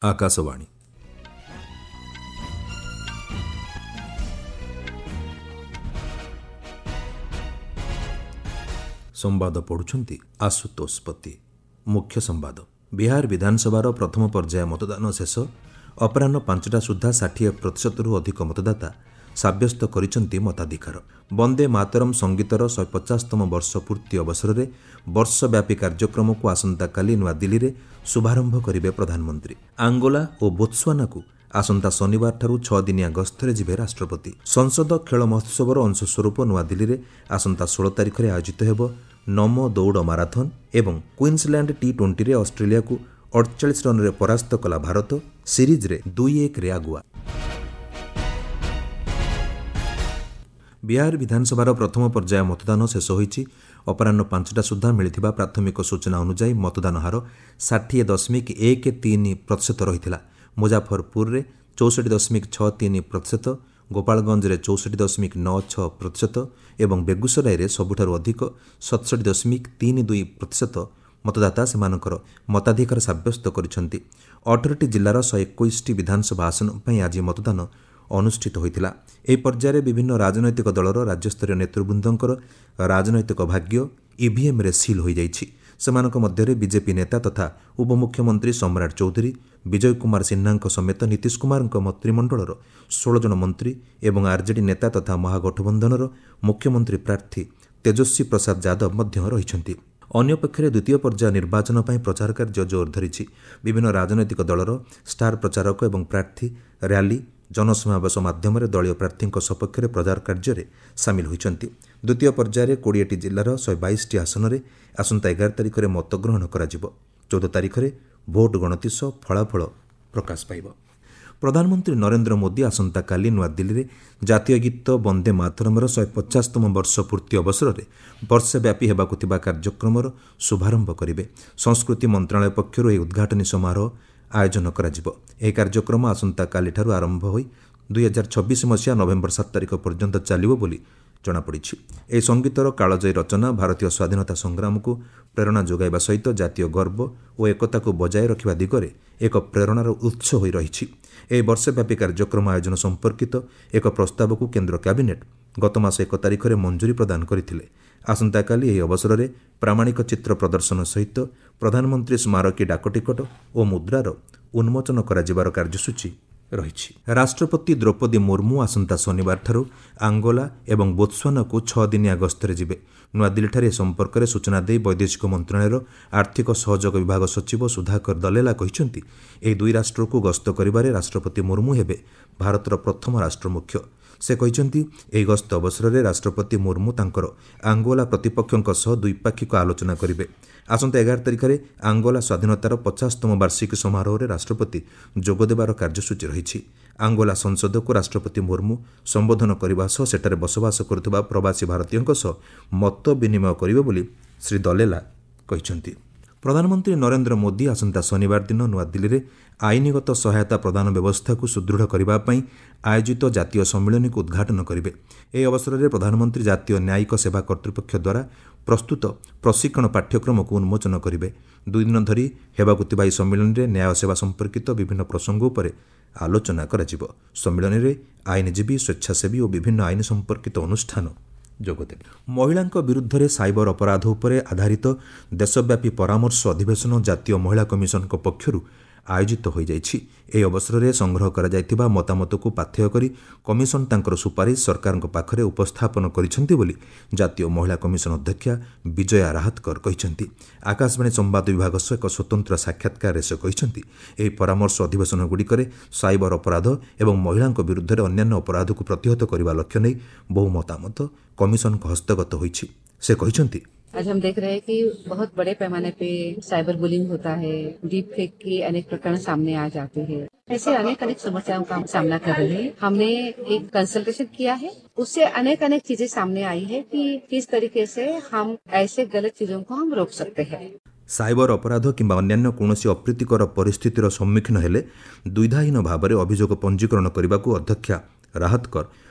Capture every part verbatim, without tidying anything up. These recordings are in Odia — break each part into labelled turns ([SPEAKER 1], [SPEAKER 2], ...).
[SPEAKER 1] ଆକାଶବାଣୀ। ସମ୍ବାଦ ପଢ଼ୁଛନ୍ତି ଆଶୁତୋଷ ପତି। ମୁଖ୍ୟ ସମ୍ବାଦ। ବିହାର ବିଧାନସଭାର ପ୍ରଥମ ପର୍ଯ୍ୟାୟ ମତଦାନ ଶେଷ। ଅପରାହ୍ନ ପାଞ୍ଚଟା ସୁଦ୍ଧା ଷାଠିଏ ପ୍ରତିଶତରୁ ଅଧିକ ମତଦାତା ସାବ୍ୟସ୍ତ କରିଛନ୍ତି ମତାଧିକାର। ବନ୍ଦେ ମାତରମ୍ ସଙ୍ଗୀତର ଶହେ ପଚାଶତମ ବର୍ଷ ପୂର୍ତ୍ତି ଅବସରରେ ବର୍ଷବ୍ୟାପୀ କାର୍ଯ୍ୟକ୍ରମକୁ ଆସନ୍ତାକାଲି ନୂଆଦିଲ୍ଲୀରେ ଶୁଭାରମ୍ଭ କରିବେ ପ୍ରଧାନମନ୍ତ୍ରୀ। ଆଙ୍ଗୋଲା ଓ ବୋତ୍ସୁଆନାକୁ ଆସନ୍ତା ଶନିବାରଠାରୁ ଛଅ ଦିନିଆ ଗସ୍ତରେ ଯିବେ ରାଷ୍ଟ୍ରପତି। ସଂସଦ ଖେଳ ମହୋତ୍ସବର ଅଂଶସ୍ୱରୂପ ନୂଆଦିଲ୍ଲୀରେ ଆସନ୍ତା ଷୋହଳ ତାରିଖରେ ଆୟୋଜିତ ହେବ ନମୋ ଦୌଡ଼ ମାରାଥନ୍। ଏବଂ କୁଇନ୍ସଲ୍ୟାଣ୍ଡ ଟି ଟ୍ୱେଣ୍ଟିରେ ଅଷ୍ଟ୍ରେଲିଆକୁ ଅଡ଼ଚାଳିଶ ରନ୍ରେ ପରାସ୍ତ କଲା ଭାରତ, ସିରିଜ୍ରେ ଦୁଇ ଏକରେ ଆଗୁଆ। ବିହାର ବିଧାନସଭାର ପ୍ରଥମ ପର୍ଯ୍ୟାୟ ମତଦାନ ଶେଷ ହୋଇଛି। ଅପରାହ୍ନ ପାଞ୍ଚଟା ସୁଦ୍ଧା ମିଳିଥିବା ପ୍ରାଥମିକ ସୂଚନା ଅନୁଯାୟୀ ମତଦାନ ହାର ଷାଠିଏ ଦଶମିକ ଏକ ତିନି ପ୍ରତିଶତ ରହିଥିଲା। ମୁଜାଫରପୁରରେ ଚଉଷଠି ଦଶମିକ ଛଅ ତିନି ପ୍ରତିଶତ, ଗୋପାଳଗଞ୍ଜରେ ଚଉଷଠି ଦଶମିକ ନଅ ଛଅ ପ୍ରତିଶତ ଏବଂ ବେଗୁସରାଇରେ ସବୁଠାରୁ ଅଧିକ ସତଷଠି ଦଶମିକ ତିନି ଦୁଇ ପ୍ରତିଶତ ମତଦାତା ସେମାନଙ୍କର ମତାଧିକାର ସାବ୍ୟସ୍ତ କରିଛନ୍ତି। ଅଠରଟି ଜିଲ୍ଲାର ଶହେ ଏକୋଇଶଟି ବିଧାନସଭା ଆସନ ପାଇଁ ଆଜି ମତଦାନ ଅନୁଷ୍ଠିତ ହୋଇଥିଲା। ଏହି ପର୍ଯ୍ୟାୟରେ ବିଭିନ୍ନ ରାଜନୈତିକ ଦଳର ରାଜ୍ୟସ୍ତରୀୟ ନେତୃବୃନ୍ଦଙ୍କର ରାଜନୈତିକ ଭାଗ୍ୟ ଇଭିଏମ୍ରେ ସିଲ୍ ହୋଇଯାଇଛି। ସେମାନଙ୍କ ମଧ୍ୟରେ ବିଜେପି ନେତା ତଥା ଉପମୁଖ୍ୟମନ୍ତ୍ରୀ ସମ୍ରାଟ ଚୌଧୁରୀ, ବିଜୟ କୁମାର ସିହ୍ନାଙ୍କ ସମେତ ନୀତିଶ କୁମାରଙ୍କ ମନ୍ତ୍ରିମଣ୍ଡଳର ଷୋହଳ ଜଣ ମନ୍ତ୍ରୀ ଏବଂ ଆର୍ଜେଡି ନେତା ତଥା ମହାଗଠବନ୍ଧନର ମୁଖ୍ୟମନ୍ତ୍ରୀ ପ୍ରାର୍ଥୀ ତେଜସ୍ୱୀ ପ୍ରସାଦ ଯାଦବ ମଧ୍ୟ ରହିଛନ୍ତି। ଅନ୍ୟପକ୍ଷରେ ଦ୍ୱିତୀୟ ପର୍ଯ୍ୟାୟ ନିର୍ବାଚନ ପାଇଁ ପ୍ରଚାର କାର୍ଯ୍ୟ ଜୋର ଧରିଛି। ବିଭିନ୍ନ ରାଜନୈତିକ ଦଳର ଷ୍ଟାର ପ୍ରଚାରକ ଏବଂ ପ୍ରାର୍ଥୀ ର୍ୟାଲି, ଜନସମାବେଶ ମାଧ୍ୟମରେ ଦଳୀୟ ପ୍ରାର୍ଥୀଙ୍କ ସପକ୍ଷରେ ପ୍ରଚାର କାର୍ଯ୍ୟରେ ସାମିଲ ହୋଇଛନ୍ତି। ଦ୍ୱିତୀୟ ପର୍ଯ୍ୟାୟରେ କୋଡ଼ିଏଟି ଜିଲ୍ଲାର ଶହେ ବାଇଶଟି ଆସନରେ ଆସନ୍ତା ଏଗାର ତାରିଖରେ ମତଗ୍ରହଣ କରାଯିବ। ଚଉଦ ତାରିଖରେ ଭୋଟ ଗଣତି ସହ ଫଳାଫଳ ପ୍ରକାଶ ପାଇବ। ପ୍ରଧାନମନ୍ତ୍ରୀ ନରେନ୍ଦ୍ର ମୋଦି ଆସନ୍ତାକାଲି ନୂଆଦିଲ୍ଲୀରେ ଜାତୀୟ ଗୀତ ବନ୍ଦେ ମାତରମ୍ର ଶହେ ପଚାଶତମ ବର୍ଷ ପୂର୍ତ୍ତି ଅବସରରେ ବର୍ଷବ୍ୟାପୀ ହେବାକୁ ଥିବା କାର୍ଯ୍ୟକ୍ରମର ଶୁଭାରମ୍ଭ କରିବେ। ସଂସ୍କୃତି ମନ୍ତ୍ରଣାଳୟ ପକ୍ଷରୁ ଏହି ଉଦ୍ଘାଟନୀ ସମାରୋହ ଆୟୋଜନ କରାଯିବ। ଏହି କାର୍ଯ୍ୟକ୍ରମ ଆସନ୍ତାକାଲିଠାରୁ ଆରମ୍ଭ ହୋଇ ଦୁଇହଜାର ଛବିଶ ମସିହା ନଭେମ୍ବର ସାତ ତାରିଖ ପର୍ଯ୍ୟନ୍ତ ଚାଲିବ ବୋଲି ଜଣାପଡ଼ିଛି। ଏହି ସଙ୍ଗୀତର କାଳଜୟୀ ରଚନା ଭାରତୀୟ ସ୍ୱାଧୀନତା ସଂଗ୍ରାମକୁ ପ୍ରେରଣା ଯୋଗାଇବା ସହିତ ଜାତୀୟ ଗର୍ବ ଓ ଏକତାକୁ ବଜାୟ ରଖିବା ଦିଗରେ ଏକ ପ୍ରେରଣାର ଉତ୍ସ ହୋଇ ରହିଛି। ଏହି ବର୍ଷବ୍ୟାପୀ କାର୍ଯ୍ୟକ୍ରମ ଆୟୋଜନ ସମ୍ପର୍କିତ ଏକ ପ୍ରସ୍ତାବକୁ କେନ୍ଦ୍ର କ୍ୟାବିନେଟ୍ ଗତମାସ ଏକ ତାରିଖରେ ମଞ୍ଜୁରୀ ପ୍ରଦାନ କରିଥିଲେ। ଆସନ୍ତାକାଲି ଏହି ଅବସରରେ ପ୍ରାମାଣିକ ଚିତ୍ର ପ୍ରଦର୍ଶନ ସହିତ ପ୍ରଧାନମନ୍ତ୍ରୀ ସ୍ମାରକୀ ଡାକଟିକଟ ଓ ମୁଦ୍ରାର ଉନ୍ମୋଚନ କରାଯିବାର କାର୍ଯ୍ୟସୂଚୀ ରହିଛି। ରାଷ୍ଟ୍ରପତି ଦ୍ରୌପଦୀ ମୁର୍ମୁ ଆସନ୍ତା ଶନିବାରଠାରୁ ଆଙ୍ଗୋଲା ଏବଂ ବୋତ୍ସୁଆନାକୁ ଛଅ ଦିନିଆ ଗସ୍ତରେ ଯିବେ। ନୂଆଦିଲ୍ଲୀଠାରେ ଏ ସମ୍ପର୍କରେ ସୂଚନା ଦେଇ ବୈଦେଶିକ ମନ୍ତ୍ରଣାଳୟର ଆର୍ଥିକ ସହଯୋଗ ବିଭାଗ ସଚିବ ସୁଧାକର ଦଲେଲା କହିଛନ୍ତି, ଏହି ଦୁଇ ରାଷ୍ଟ୍ରକୁ ଗସ୍ତ କରିବାରେ ରାଷ୍ଟ୍ରପତି ମୁର୍ମୁ ହେବେ ଭାରତର ପ୍ରଥମ ରାଷ୍ଟ୍ରମୁଖ୍ୟ। ସେ କହିଛନ୍ତି, ଏହି ଗସ୍ତ ଅବସରରେ ରାଷ୍ଟ୍ରପତି ମୁର୍ମୁ ତାଙ୍କର ଆଙ୍ଗୋଲା ପ୍ରତିପକ୍ଷଙ୍କ ସହ ଦ୍ୱିପାକ୍ଷିକ ଆଲୋଚନା କରିବେ। ଆସନ୍ତା ଏଗାର ତାରିଖରେ ଆଙ୍ଗୋଲା ସ୍ୱାଧୀନତାର ପଚାଶତମ ବାର୍ଷିକୀ ସମାରୋହରେ ରାଷ୍ଟ୍ରପତି ଯୋଗଦେବାର କାର୍ଯ୍ୟସୂଚୀ ରହିଛି। ଆଙ୍ଗୋଲା ସଂସଦକୁ ରାଷ୍ଟ୍ରପତି ମୁର୍ମୁ ସମ୍ବୋଧନ କରିବା ସହ ସେଠାରେ ବସବାସ କରୁଥିବା ପ୍ରବାସୀ ଭାରତୀୟଙ୍କ ସହ ମତ ବିନିମୟ କରିବେ ବୋଲି ଶ୍ରୀ ଦଲେଲା କହିଛନ୍ତି। ପ୍ରଧାନମନ୍ତ୍ରୀ ନରେନ୍ଦ୍ର ମୋଦି ଆସନ୍ତା ଶନିବାର ଦିନ ନୂଆଦିଲ୍ଲୀରେ ଆଇନଗତ ସହାୟତା ପ୍ରଦାନ ବ୍ୟବସ୍ଥାକୁ ସୁଦୃଢ଼ କରିବା ପାଇଁ ଆୟୋଜିତ ଜାତୀୟ ସମ୍ମିଳନୀକୁ ଉଦ୍ଘାଟନ କରିବେ। ଏହି ଅବସରରେ ପ୍ରଧାନମନ୍ତ୍ରୀ ଜାତୀୟ ନ୍ୟାୟିକ ସେବା କର୍ତ୍ତୃପକ୍ଷ ଦ୍ୱାରା ପ୍ରସ୍ତୁତ ପ୍ରଶିକ୍ଷଣ ପାଠ୍ୟକ୍ରମକୁ ଉନ୍ମୋଚନ କରିବେ। ଦୁଇ ଦିନ ଧରି ହେବାକୁ ଥିବା ଏହି ସମ୍ମିଳନୀରେ ନ୍ୟାୟ ସେବା ସମ୍ପର୍କିତ ବିଭିନ୍ନ ପ୍ରସଙ୍ଗ ଉପରେ ଆଲୋଚନା କରାଯିବ। ସମ୍ମିଳନୀରେ ଆଇନଜୀବୀ, ସ୍ୱେଚ୍ଛାସେବୀ ଓ ବିଭିନ୍ନ ଆଇନ ସମ୍ପର୍କିତ ଅନୁଷ୍ଠାନ ଯୋଗଦେବେ। ମହିଳାଙ୍କ ବିରୁଦ୍ଧରେ ସାଇବର ଅପରାଧ ଉପରେ ଆଧାରିତ ଦେଶବ୍ୟାପୀ ପରାମର୍ଶ ଅଧିବେଶନ ଜାତୀୟ ମହିଳା କମିଶନଙ୍କ ପକ୍ଷରୁ ଆୟୋଜିତ ହୋଇଯାଇଛି। ଏହି ଅବସରରେ ସଂଗ୍ରହ କରାଯାଇଥିବା ମତାମତକୁ ପାଥେୟ କରି କମିଶନ ତାଙ୍କର ସୁପାରିଶ ସରକାରଙ୍କ ପାଖରେ ଉପସ୍ଥାପନ କରିଛନ୍ତି ବୋଲି ଜାତୀୟ ମହିଳା କମିଶନ ଅଧ୍ୟକ୍ଷା ବିଜୟା ରାହତକର କହିଛନ୍ତି। ଆକାଶବାଣୀ ସମ୍ବାଦ ବିଭାଗ ସହ ଏକ ସ୍ୱତନ୍ତ୍ର ସାକ୍ଷାତକାରରେ ସେ କହିଛନ୍ତି, ଏହି ପରାମର୍ଶ ଅଧିବେଶନଗୁଡ଼ିକରେ ସାଇବର ଅପରାଧ ଏବଂ ମହିଳାଙ୍କ ବିରୁଦ୍ଧରେ ଅନ୍ୟାନ୍ୟ ଅପରାଧକୁ ପ୍ରତିହତ କରିବା ଲକ୍ଷ୍ୟ ନେଇ ବହୁ ମତାମତ କମିଶନଙ୍କ ହସ୍ତଗତ ହୋଇଛି। ସେ କହିଛନ୍ତି,
[SPEAKER 2] आज हम देख रहे हैं कि बहुत बड़े पैमाने पे साइबर बुलिंग होता है, डीप फेक के अनेक प्रकरण सामने आ जाते हैं। ऐसे अनेक अनेक समस्याओं का सामना कर रहे हैं। हमने एक कंसल्टेशन किया है, उससे अनेक अनेक चीजें सामने आई है कि किस तरीके से हम ऐसे गलत चीजों को हम रोक सकते हैं।
[SPEAKER 1] ସାଇବର ଅପରାଧ କିମ୍ବା ଅନ୍ୟାନ୍ୟ କୌଣସି ଅପ୍ରୀତିକର ପରିସ୍ଥିତିର ସମ୍ମୁଖୀନ ହେଲେ ଦ୍ୱିଧାହୀନ ଭାବରେ ଅଭିଯୋଗ ପଞ୍ଜୀକରଣ କରିବାକୁ ଅଧ୍ୟକ୍ଷା ରାହତକର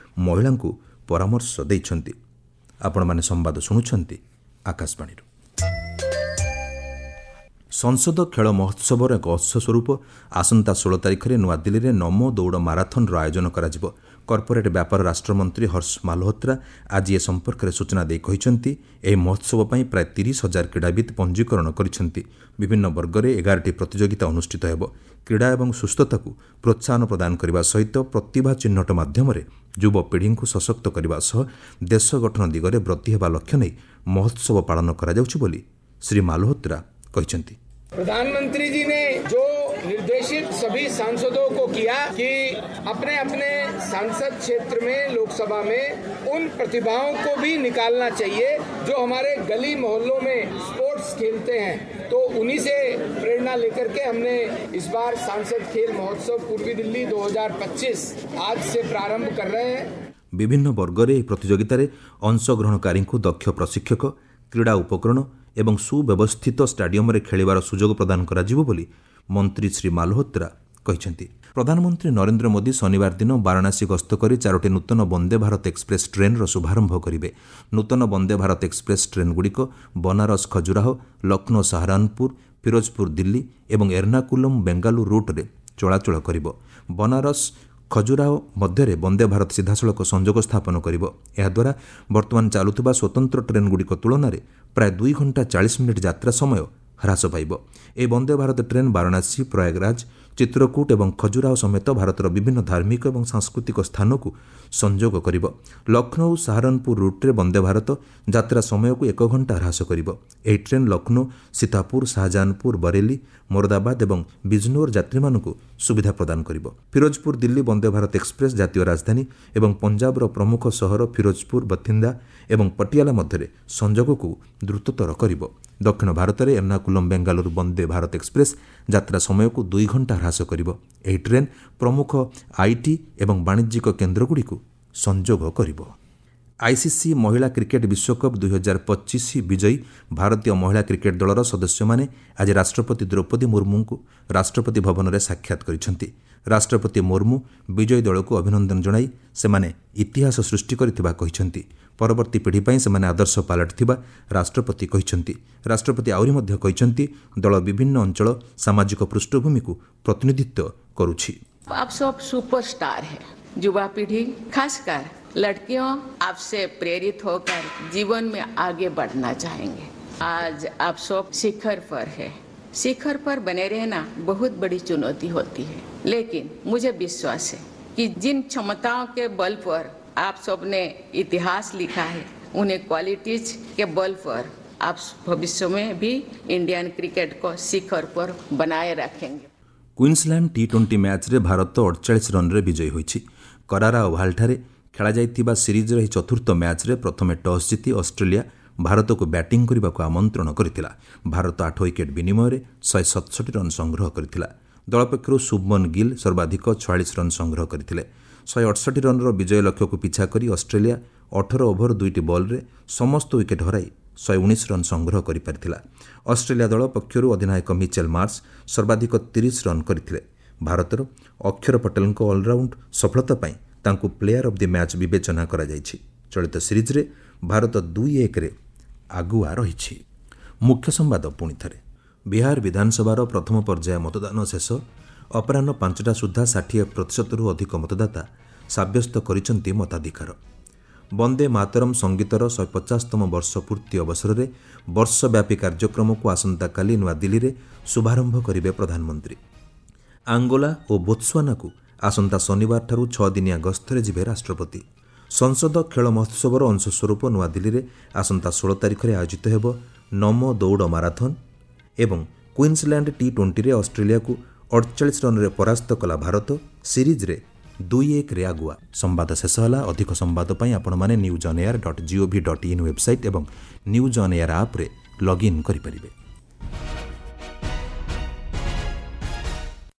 [SPEAKER 1] ମହିଳାଙ୍କୁ ପରାମର୍ଶ ଦେଇଛନ୍ତି। ଆପଣମାନେ ସମ୍ବାଦ ଶୁଣୁଛନ୍ତି ଆକାଶବାଣୀରୁ। ସଂସଦ ଖେଳ ମହୋତ୍ସବର ଏକ ଅଂଶ ସ୍ୱରୂପ ଆସନ୍ତା ଷୋହଳ ତାରିଖରେ ନୂଆଦିଲ୍ଲୀରେ ନମୋ ଦୌଡ଼ ମାରାଥନ୍ର ଆୟୋଜନ କରାଯିବ। କର୍ପୋରେଟ୍ ବ୍ୟାପାର ରାଷ୍ଟ୍ରମନ୍ତ୍ରୀ ହର୍ଷ ମାଲହୋତ୍ରା ଆଜି ଏ ସମ୍ପର୍କରେ ସୂଚନା ଦେଇ କହିଛନ୍ତି, ଏହି ମହୋତ୍ସବ ପାଇଁ ପ୍ରାୟ ତିରିଶ ହଜାର କ୍ରୀଡ଼ାବିତ୍ ପଞ୍ଜୀକରଣ କରିଛନ୍ତି। ବିଭିନ୍ନ ବର୍ଗରେ ଏଗାରଟି ପ୍ରତିଯୋଗିତା ଅନୁଷ୍ଠିତ ହେବ। କ୍ରୀଡ଼ା ଏବଂ ସୁସ୍ଥତାକୁ ପ୍ରୋତ୍ସାହନ ପ୍ରଦାନ କରିବା ସହିତ ପ୍ରତିଭା ଚିହ୍ନଟ ମାଧ୍ୟମରେ ଯୁବପିଢ଼ିଙ୍କୁ ସଶକ୍ତ କରିବା ସହ ଦେଶ ଗଠନ ଦିଗରେ ବ୍ରତୀ ହେବା ଲକ୍ଷ୍ୟ ନେଇ ମହୋତ୍ସବ ପାଳନ କରାଯାଉଛି ବୋଲି ଶ୍ରୀ ମାଲହୋତ୍ରା କହିଛନ୍ତି।
[SPEAKER 3] प्रधानमंत्री जी ने जो निर्देशित सभी सांसदों को किया कि अपने अपने सांसद क्षेत्र में लोकसभा में उन प्रतिभाओं को भी निकालना चाहिए जो हमारे गली मोहल्लों में स्पोर्ट्स खेलते हैं, तो उन्हीं से प्रेरणा लेकर के हमने इस बार सांसद खेल महोत्सव पूर्वी दिल्ली दो हज़ार पच्चीस आज से प्रारंभ कर रहे हैं।
[SPEAKER 1] ବିଭିନ୍ନ ବର୍ଗରେ ଏହି ପ୍ରତିଯୋଗିତାରେ ଅଂଶଗ୍ରହଣକାରୀଙ୍କୁ ଦକ୍ଷ ପ୍ରଶିକ୍ଷକ, କ୍ରୀଡ଼ା ଉପକରଣ ଏବଂ ସୁବ୍ୟବସ୍ଥିତ ଷ୍ଟାଡିୟମରେ ଖେଳିବାର ସୁଯୋଗ ପ୍ରଦାନ କରାଯିବ ବୋଲି ମନ୍ତ୍ରୀ ଶ୍ରୀ ମାଲହୋତ୍ରା କହିଛନ୍ତି। ପ୍ରଧାନମନ୍ତ୍ରୀ ନରେନ୍ଦ୍ର ମୋଦି ଶନିବାର ଦିନ ବାରାଣାସୀ ଗସ୍ତ କରି ଚାରୋଟି ନୂତନ ବନ୍ଦେ ଭାରତ ଏକ୍ସପ୍ରେସ୍ ଟ୍ରେନ୍ର ଶୁଭାରମ୍ଭ କରିବେ। ନୂତନ ବନ୍ଦେ ଭାରତ ଏକ୍ସପ୍ରେସ୍ ଟ୍ରେନ୍ଗୁଡ଼ିକ ବନାରସ ଖଜୁରାହୋ, ଲକ୍ଷ୍ନୌ ସାହାରାନପୁର, ଫିରୋଜପୁର ଦିଲ୍ଲୀ ଏବଂ ଏର୍ନାକୁଲମ୍ ବେଙ୍ଗାଲୁରୁ ରୁଟ୍ରେ ଚଳାଚଳ କରିବ। ବନାରସ ଖଜୁରାହୋ ମଧ୍ୟରେ ବନ୍ଦେ ଭାରତ ସିଧାସଳଖ ସଂଯୋଗ ସ୍ଥାପନ କରିବ। ଏହାଦ୍ୱାରା ବର୍ତ୍ତମାନ ଚାଲୁଥିବା ସ୍ୱତନ୍ତ୍ର ଟ୍ରେନ୍ଗୁଡ଼ିକ ତୁଳନାରେ ପ୍ରାୟ ଦୁଇ ଘଣ୍ଟା ଚାଳିଶ ମିନିଟ୍ ଯାତ୍ରା ସମୟ ହ୍ରାସ ପାଇବ। ଏହି ବନ୍ଦେ ଭାରତ ଟ୍ରେନ୍ ବାରାଣାସୀ, ପ୍ରୟାଗରାଜ, ଚିତ୍ରକୂଟ ଏବଂ ଖଜୁରାହୋ ସମେତ ଭାରତର ବିଭିନ୍ନ ଧାର୍ମିକ ଏବଂ ସାଂସ୍କୃତିକ ସ୍ଥାନକୁ ସଂଯୋଗ କରିବ। ଲକ୍ଷ୍ନୌ ସାହାରନପୁର ରୁଟ୍ରେ ବନ୍ଦେ ଭାରତ ଯାତ୍ରା ସମୟକୁ ଏକ ଘଣ୍ଟା ହ୍ରାସ କରିବ। ଏହି ଟ୍ରେନ୍ ଲକ୍ଷ୍ନୌ, ସୀତାପୁର, ଶାହଜାହାନପୁର, ବରେଲି, ମୋରଦାବାଦ ଏବଂ ବିଜନୋର ଯାତ୍ରୀମାନଙ୍କୁ ସୁବିଧା ପ୍ରଦାନ କରିବ। ଫିରୋଜପୁର ଦିଲ୍ଲୀ ବନ୍ଦେ ଭାରତ ଏକ୍ସପ୍ରେସ୍ ଜାତୀୟ ରାଜଧାନୀ ଏବଂ ପଞ୍ଜାବର ପ୍ରମୁଖ ସହର ଫିରୋଜପୁର, ବଥିନ୍ଦା ଏବଂ ପଟିଆଲା ମଧ୍ୟରେ ସଂଯୋଗକୁ ଦ୍ରୁତତର କରିବ। ଦକ୍ଷିଣ ଭାରତରେ ଏର୍ନାକୁଲମ୍ ବେଙ୍ଗାଲୁରୁ ବନ୍ଦେ ଭାରତ ଏକ୍ସପ୍ରେସ୍ ଯାତ୍ରା ସମୟକୁ ଦୁଇ ଘଣ୍ଟା ହ୍ରାସ କରିବ। ଏହି ଟ୍ରେନ୍ ପ୍ରମୁଖ IT ଏବଂ ବାଣିଜ୍ୟିକ କେନ୍ଦ୍ରଗୁଡ଼ିକୁ ସଂଯୋଗ କରିବ। ଆଇସିସି ମହିଳା କ୍ରିକେଟ୍ ବିଶ୍ୱକପ୍ ଦୁଇହଜାର ପଚିଶ ବିଜୟୀ ଭାରତୀୟ ମହିଳା କ୍ରିକେଟ୍ ଦଳର ସଦସ୍ୟମାନେ ଆଜି ରାଷ୍ଟ୍ରପତି ଦ୍ରୌପଦୀ ମୁର୍ମୁଙ୍କୁ ରାଷ୍ଟ୍ରପତି ଭବନରେ ସାକ୍ଷାତ କରିଛନ୍ତି। ରାଷ୍ଟ୍ରପତି ମୁର୍ମୁ ବିଜୟୀ ଦଳକୁ ଅଭିନନ୍ଦନ ଜଣାଇ ସେମାନେ ଇତିହାସ ସୃଷ୍ଟି କରିଥିବା କହିଛନ୍ତି। ପରବର୍ତ୍ତୀ ପିଢ଼ି ପାଇଁ ସେମାନେ ଆଦର୍ଶ ପାଲଟିଥିବା ରାଷ୍ଟ୍ରପତି କହିଛନ୍ତି। ରାଷ୍ଟ୍ରପତି ଆହୁରି ମଧ୍ୟ କହିଛନ୍ତି, ଦଳ ବିଭିନ୍ନ ଅଞ୍ଚଳ, ସାମାଜିକ ପୃଷ୍ଠଭୂମିକୁ ପ୍ରତିନିଧିତ୍ୱ କରୁଛି।
[SPEAKER 4] आप सब सुपरस्टार है। युवा पीढ़ी खासकर लड़कियों आपसे प्रेरित होकर जीवन में आगे बढ़ना चाहेंगे। आज आप सब शिखर पर है। शिखर पर बने रहना बहुत बड़ी चुनौती होती है, लेकिन मुझे विश्वास है कि जिन क्षमताओं के बल पर आप सबने इतिहास लिखा है, उन्हें क्वालिटीज के बल पर आप भविष्य में भी इंडियन क्रिकेट को शिखर पर बनाए रखेंगे।
[SPEAKER 1] କ୍ୱିନ୍ସଲ୍ୟାଣ୍ଡ ଟି ଟ୍ୱେଣ୍ଟି ମ୍ୟାଚ୍ରେ ଭାରତ ଅଡ଼ଚାଳିଶ ରନ୍ରେ ବିଜୟୀ ହୋଇଛି। କରାରା ଓଭାଲଠାରେ ଖେଳାଯାଇଥିବା ସିରିଜ୍ର ଏହି ଚତୁର୍ଥ ମ୍ୟାଚ୍ରେ ପ୍ରଥମେ ଟସ୍ ଜିତି ଅଷ୍ଟ୍ରେଲିଆ ଭାରତକୁ ବ୍ୟାଟିଂ କରିବାକୁ ଆମନ୍ତ୍ରଣ କରିଥିଲା। ଭାରତ ଆଠ ୱିକେଟ୍ ବିନିମୟରେ ଶହେ ସତଷଠି ରନ୍ ସଂଗ୍ରହ କରିଥିଲା। ଦଳ ପକ୍ଷରୁ ଶୁଭମନ ଗିଲ୍ ସର୍ବାଧିକ ଛୟାଳିଶ ରନ୍ ସଂଗ୍ରହ କରିଥିଲେ। ଶହେ ଅଠଷଠି ରନ୍ର ବିଜୟ ଲକ୍ଷ୍ୟକୁ ପିଛା କରି ଅଷ୍ଟ୍ରେଲିଆ ଅଠର ଓଭର ଦୁଇଟି ବଲ୍ରେ ସମସ୍ତ ୱିକେଟ୍ ହରାଇ ଶହେ ଉଣେଇଶ ରନ୍ ସଂଗ୍ରହ କରିପାରିଥିଲା। ଅଷ୍ଟ୍ରେଲିଆ ଦଳ ପକ୍ଷରୁ ଅଧିନାୟକ ମିଚେଲ ମାର୍ସ ସର୍ବାଧିକ ତିରିଶ ରନ୍ କରିଥିଲେ। ଭାରତର ଅକ୍ଷର ପଟେଲଙ୍କ ଅଲରାଉଣ୍ଡ ସଫଳତା ପାଇଁ ତାଙ୍କୁ ପ୍ଲେୟାର ଅଫ୍ the match ବିବେଚନା କରାଯାଇଛି। ଚଳିତ ସିରିଜ୍ରେ ଭାରତ ଦୁଇ ଏକରେ ଆଗୁଆ ରହିଛି। ମୁଖ୍ୟ ସମ୍ବାଦ ପୁଣି ଥରେ। ବିହାର ବିଧାନସଭାର ପ୍ରଥମ ପର୍ଯ୍ୟାୟ ମତଦାନ ଶେଷ। ଅପରାହ୍ନ ପାଞ୍ଚଟା ସୁଦ୍ଧା ଷାଠିଏ ପ୍ରତିଶତରୁ ଅଧିକ ମତଦାତା ସାବ୍ୟସ୍ତ କରିଛନ୍ତି ମତାଧିକାର। ବନ୍ଦେ ମାତରମ୍ ସଙ୍ଗୀତର ଶହେ ପଚାଶତମ ବର୍ଷ ପୂର୍ତ୍ତି ଅବସରରେ ବର୍ଷବ୍ୟାପୀ କାର୍ଯ୍ୟକ୍ରମକୁ ଆସନ୍ତାକାଲି ନୂଆଦିଲ୍ଲୀରେ ଶୁଭାରମ୍ଭ କରିବେ ପ୍ରଧାନମନ୍ତ୍ରୀ। ଆଙ୍ଗୋଲା ଓ ବୋତ୍ସୁଆନାକୁ ଆସନ୍ତା ଶନିବାରଠାରୁ ଛଅ ଦିନିଆ ଗସ୍ତରେ ଯିବେ ରାଷ୍ଟ୍ରପତି। ସଂସଦ ଖେଳ ମହୋତ୍ସବର ଅଂଶସ୍ୱରୂପ ନୂଆଦିଲ୍ଲୀରେ ଆସନ୍ତା ଷୋହଳ ତାରିଖରେ ଆୟୋଜିତ ହେବ ନମୋ ଦୌଡ଼ ମାରାଥନ୍। ଏବଂ କ୍ୱିନ୍ସଲ୍ୟାଣ୍ଡ ଟି ଟ୍ୱେଣ୍ଟିରେ ଅଷ୍ଟ୍ରେଲିଆକୁ ଅଡ଼ଚାଳିଶ ରନ୍ରେ ପରାସ୍ତ କଲା ଭାରତ, ସିରିଜ୍ରେ ଦୁଇ ଏକରେ ଆଗୁଆ। ସମ୍ବାଦ ଶେଷ ହେଲା। ଅଧିକ ସମ୍ବାଦ ପାଇଁ ଆପଣମାନେ news on air dot gov dot in website ଏବଂ ନ୍ୟୁଜ୍ ଅନ୍ ଏୟାର ଆପ୍ରେ ଲଗ୍ଇନ୍ କରିପାରିବେ।